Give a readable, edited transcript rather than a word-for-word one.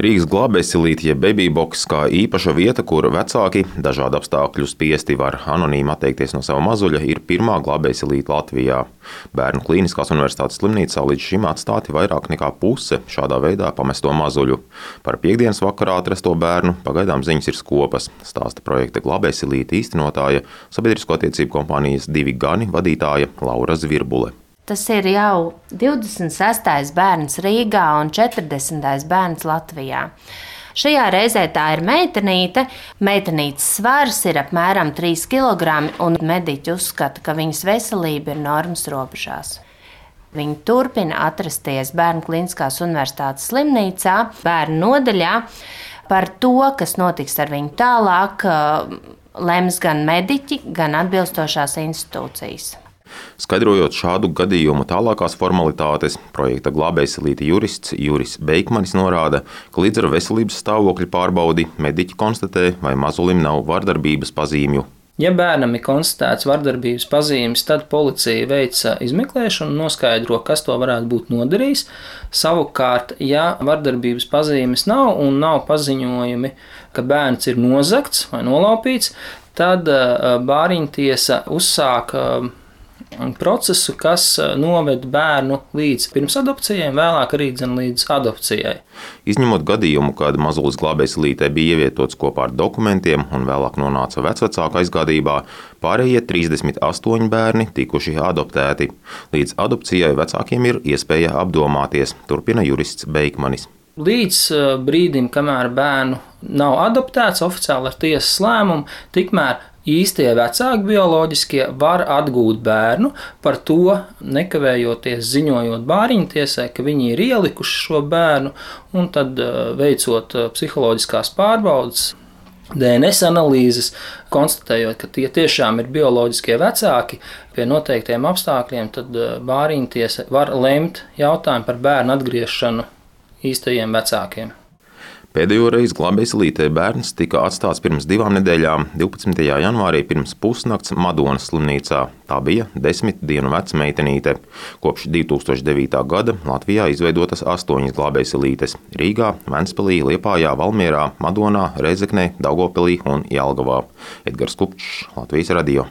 Rīgas glābējsilīte, jeb babyboks, kā īpaša vieta, kur vecāki dažādu apstākļu spiesti var anonīmi atteikties no sava mazuļa, ir pirmā glābējsilīte Latvijā. Bērnu Klīniskās universitātes slimnīcā līdz šim atstāti vairāk nekā puse šādā veidā pamesto mazuļu. Par piektdienas vakarā atrasto bērnu pagaidām ziņas ir skopas, stāsta projekta glābējsilīte īstenotāja, sabiedrisko attiecību kompānijas 2 Gani vadītāja Laura Zvirbule. Tas ir jau 26. bērns Rīgā un 40. bērns Latvijā. Šajā reizē tā ir meitenīte. Meitenītes svars ir apmēram 3 kg, un mediķi uzskata, ka viņas veselība ir normas robežās. Viņi turpina atrasties Bērnu Klīniskās universitātes slimnīcā, bērnu nodaļā. Par to, kas notiks ar viņu tālāk, lems gan mediķi, gan atbilstošās institūcijas. Skaidrojot šādu gadījumu tālākās formalitātes, projekta glābējsilīte jurists Juris Beikmanis norāda, ka līdz ar veselības stāvokļa pārbaudi mediķi konstatē, vai mazulim nav vardarbības pazīmju. Ja bērnam ir konstatēts vardarbības pazīmes, tad policija veic izmeklēšanu un noskaidro, kas to varētu būt nodarījis. Savukārt, ja vardarbības pazīmes nav un nav paziņojumi, ka bērns ir nozagts vai nolaupīts, tad bāriņtiesa uzsāk procesu, kas noved bērnu līdz pirmsadopcijai, vēlāk arī līdz adopcijai. Izņemot gadījumu, kad mazulis glābējsilītē bija ievietots kopā ar dokumentiem un vēlāk nonāca vecvecāku aizgādībā, pārējie 38 bērni tikuši adoptēti. Līdz adopcijai vecākiem ir iespēja apdomāties, turpina jurists Beikmanis. Līdz brīdim, kamēr bērnu nav adoptēts oficiāli ar tiesas lēmumu, tikmēr īstie vecāki bioloģiskie var atgūt bērnu, par to nekavējoties ziņojot bāriņtiesai, ka viņi ir ielikuši šo bērnu, un tad veicot psiholoģiskās pārbaudes, DNS analīzes, konstatējot, ka tie tiešām ir bioloģiskie vecāki pie noteiktiem apstākļiem, tad bāriņtiesa var lemt jautājumu par bērnu atgriešanu īstajiem vecākiem. Pēdējo reizi glābējsilītē bērns tika atstāts pirms 2 nedēļām, 12. janvārī pirms pusnakts Madonas slimnīcā. Tā bija 10 dienu veca meitenīte. Kopš 2009. gada Latvijā izveidotas 8 glābējsilītes – Rīgā, Ventspilī, Liepājā, Valmierā, Madonā, Rēzeknē, Daugavpilī un Jelgavā. Edgars Kupčs, Latvijas radio.